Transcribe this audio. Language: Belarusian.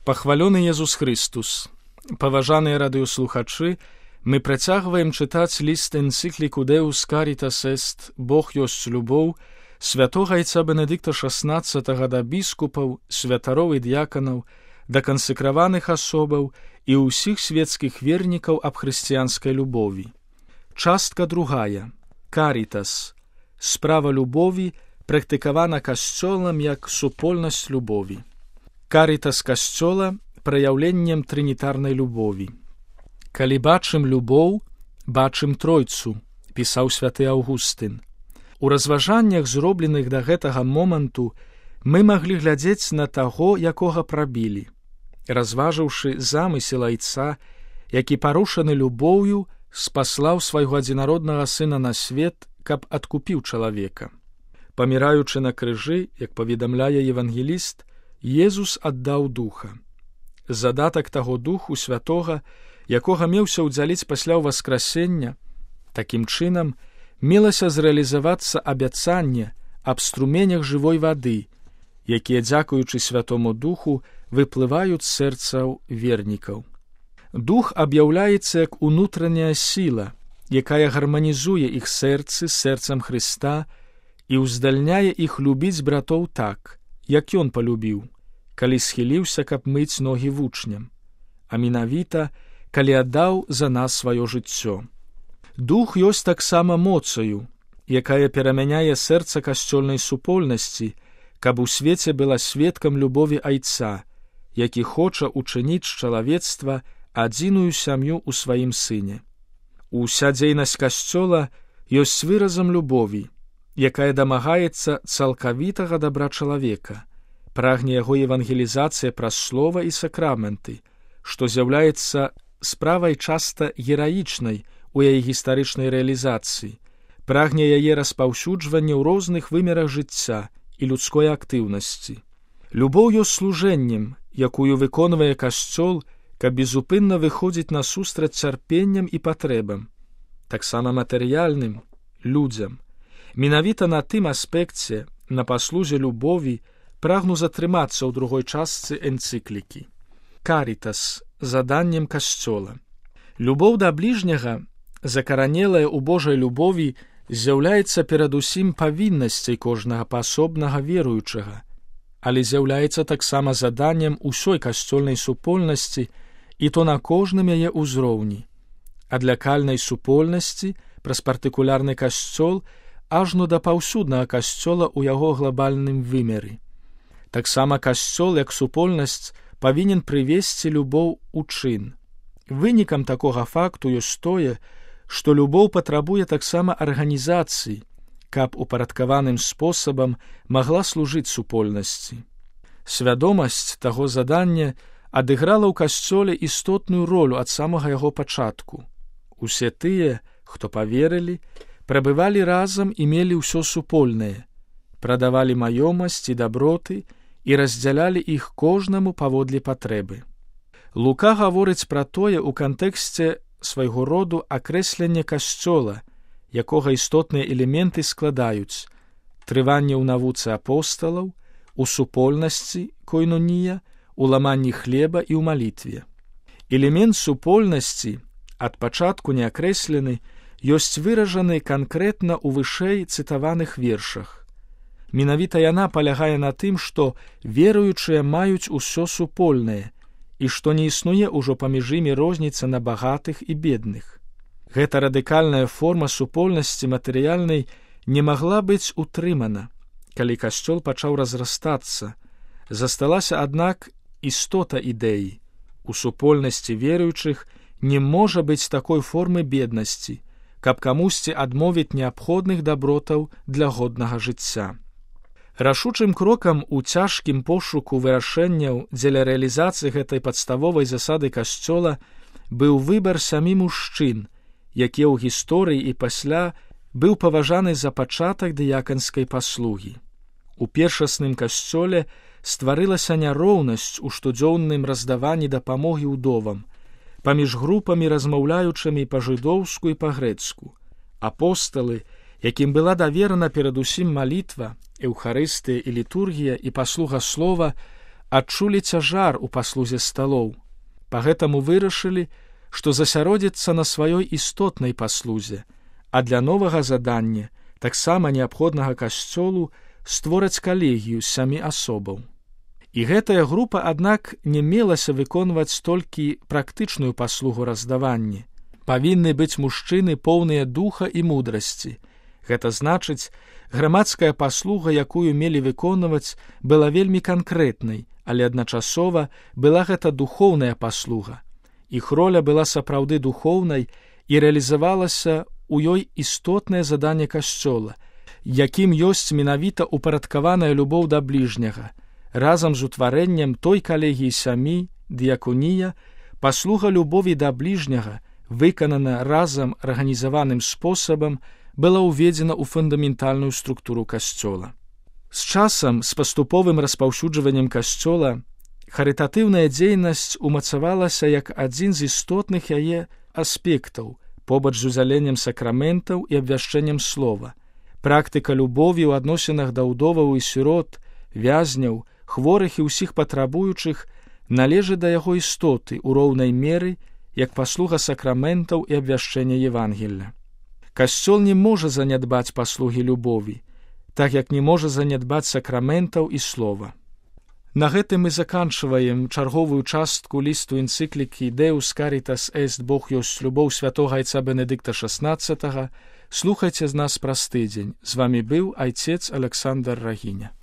Пахвалёны Езус Христус! Паважаныя радыёслухачы, мы працягваем чытаць ліст энцыкліку Deus Caritas Est, Бог ёсць любоў, святога айца Бенедыкта XVI да біскупаў, святароў і д'яканаў, да кансекраваных асобаў і ўсіх светскіх вернікаў аб хрысціянскай любові. Частка другая. Карітас. Справа любові практыкавана касцёлам як супольнасць любові. Карітас касцёла праяўленнем трынітарнай любові. Калі бачым любоў, бачым тройцу, пісаў святы Аўгустын. У разважаннях, зробленых да гэтага моманту, мы маглі глядзець на таго, якога прабілі. Разважыўшы замысел айца, які парушаны любоўю, спаслаў свайго адзінароднага сына на свет, каб адкупіў чалавека. Паміраючы на крыжы, як паведамляе евангеліст, Езус аддаў духа. Задатак таго духу святога, якога меўся ўдзяліць пасля ўваскрасення, такім чынам мелася зрэалізавацца абяцанне аб струменях жывой вады, якія, дзякуючы святому духу, выплываюць з сэрцаў вернікаў. Дух аб'яўляецца як унутраная сіла, якая гарманізуе іх сэрцы з сэрцам Хрыста і ўздальняе іх любіць братоў так, як ён палюбіў, калі схіліўся, каб мыць ногі вучням, а менавіта, калі аддаў за нас сваё жыццё. Дух ёсць таксама моцаю, якая перамяняе сэрца касцёльнай супольнасці, каб у свеце была сведкам любові айца, які хоча учыніць з чалавецтва адзіную сям'ю ў сваім сыне. Уся дзейнасць касцёла ёсць выразам любові, якая дамагаецца цалкавітага дабра чалавека, прагне яго евангелізацыя праз слова і сакраменты, што з'яўляецца справай часта гераічнай у яе гістарычнай рэалізацыі, прагне яе распаўсюджвання ў розных вымерах жыцця і людской актыўнасці. Любоў ёсць служэннем, якую выконвае касцёл, каб безупынна выходзіць насустрач цярпенням і патрэбам, таксама матэрыяльным, людзям. Менавіта на тым аспекце, на паслузе любові, прагну затрымацца ў другой частцы энцыклікі. Карітас – заданнем касцёла. Любоў да бліжняга, закаранелая ў Божай любові, з'яўляецца перадусім павіннасцяй кожнага паасобнага веруючага, але з'яўляецца таксама заданнем усёй касцёльнай супольнасці і то на кожным яе ўзроўні. Ад лакальнай супольнасці праз партыкулярны касцёл ажно да паўсюднага касцёла ў яго глобальным вымеры. Таксама касцёл, як супольнасць, павінен прывесці любоў у чын. Вынікам такога факту ёсць тое, што любоў патрабуе таксама арганізацыі, каб упарадкаваным спосабам магла служыць супольнасці. Свядомасць таго задання адыграла ў касцёле істотную ролю ад самага яго пачатку. Усе тыя, хто паверылі, прабывалі разам і мелі ўсё супольнае, прадавалі маёмасць і даброты і раздзялялі іх кожнаму паводле патрэбы. Лука гаворыць пра тое ў кантэксце свайго роду акрэслення касцёла, якога істотныя элементы складаюць трыванне ў навуцы апосталаў, у супольнасці, койнонія, у ламанні хлеба і ў малітве. Элемент супольнасці, ад пачатку не акрэслены, ёсць выражаны канкрэтна ў вышэй цытаваных вершах. Менавіта яна палягае на тым, што веруючыя маюць усё супольнае і што не існуе ўжо паміж імі розніца на багатых і бедных. Гэта радыкальная форма супольнасці матэрыяльнай не магла быць утрымана, калі касцёл пачаў разрастацца. Засталася, аднак, істота ідэі. У супольнасці веруючых не можа быць такой формы беднасці, каб камусьці адмовіць неабходных дабротаў для годнага жыцця. Рашучым крокам у цяжкім пошуку вырашэнняў дзеля рэалізацыі гэтай падставовай засады касцёла быў выбар самі мужчын, які ў гісторыі і пасля быў паважаны за пачатак дыяканскай паслугі. У першасным касцёле стварылася няроўнасць у штодзённым раздаванні дапамогі ўдовам, паміж групамі, размаўляючымі па-жыдоўску і па-грэцку. Апосталы, якім была даверана перадусім малітва, эўхарыстыя і літургія і паслуга слова, адчулі цяжар у паслузе сталоў. Пагэтаму вырашылі, што засяродзіцца на сваёй істотнай паслузе, а для новага задання, таксама неабходнага касцёлу, створаць калегію з 7 асобаў. І гэтая група, аднак, не мелася выконваць толькі практычную паслугу раздавання. Павінны быць мужчыны поўныя духа і мудрасці. Гэта значыць, грамадская паслуга, якую мелі выконваць, была вельмі канкрэтнай, але адначасова была гэта духоўная паслуга. Іх роля была сапраўды духоўнай і рэалізавалася ў ёй істотнае заданне касцёла, якім ёсць менавіта упарадкаваная любоў да бліжняга. Разам з утварэннем той калегіі 7, дыяконія, паслуга любові да бліжняга, выканана разам арганізаваным спосабам, была ўведзена ў фундаментальную структуру касцёла. З часам, з паступовым распаўсюджваннем касцёла, харытатыўная дзейнасць умацавалася як адзін з істотных яе аспектаў, побач з узяленнем сакраментаў і абвяшчэннем слова. Практыка любові ў адносінах да ўдоваў і сірот, вязняў, хворых і ўсіх патрабуючых належыць да яго істоты ў роўнай меры, як паслуга сакраментаў і абвяшчэння Евангелля. Касцёл не можа занядбаць паслугі любові, так як не можа занядбаць сакраментаў і слова. На гэтым мы заканчваем чарговую частку лісту энцыклікі «Deus Caritas Est, Бог ёсць любоў» святога айца Бенедыкта XVI. Слухайце з нас праз тыдзень. З вамі быў айцец Александр Рагіня.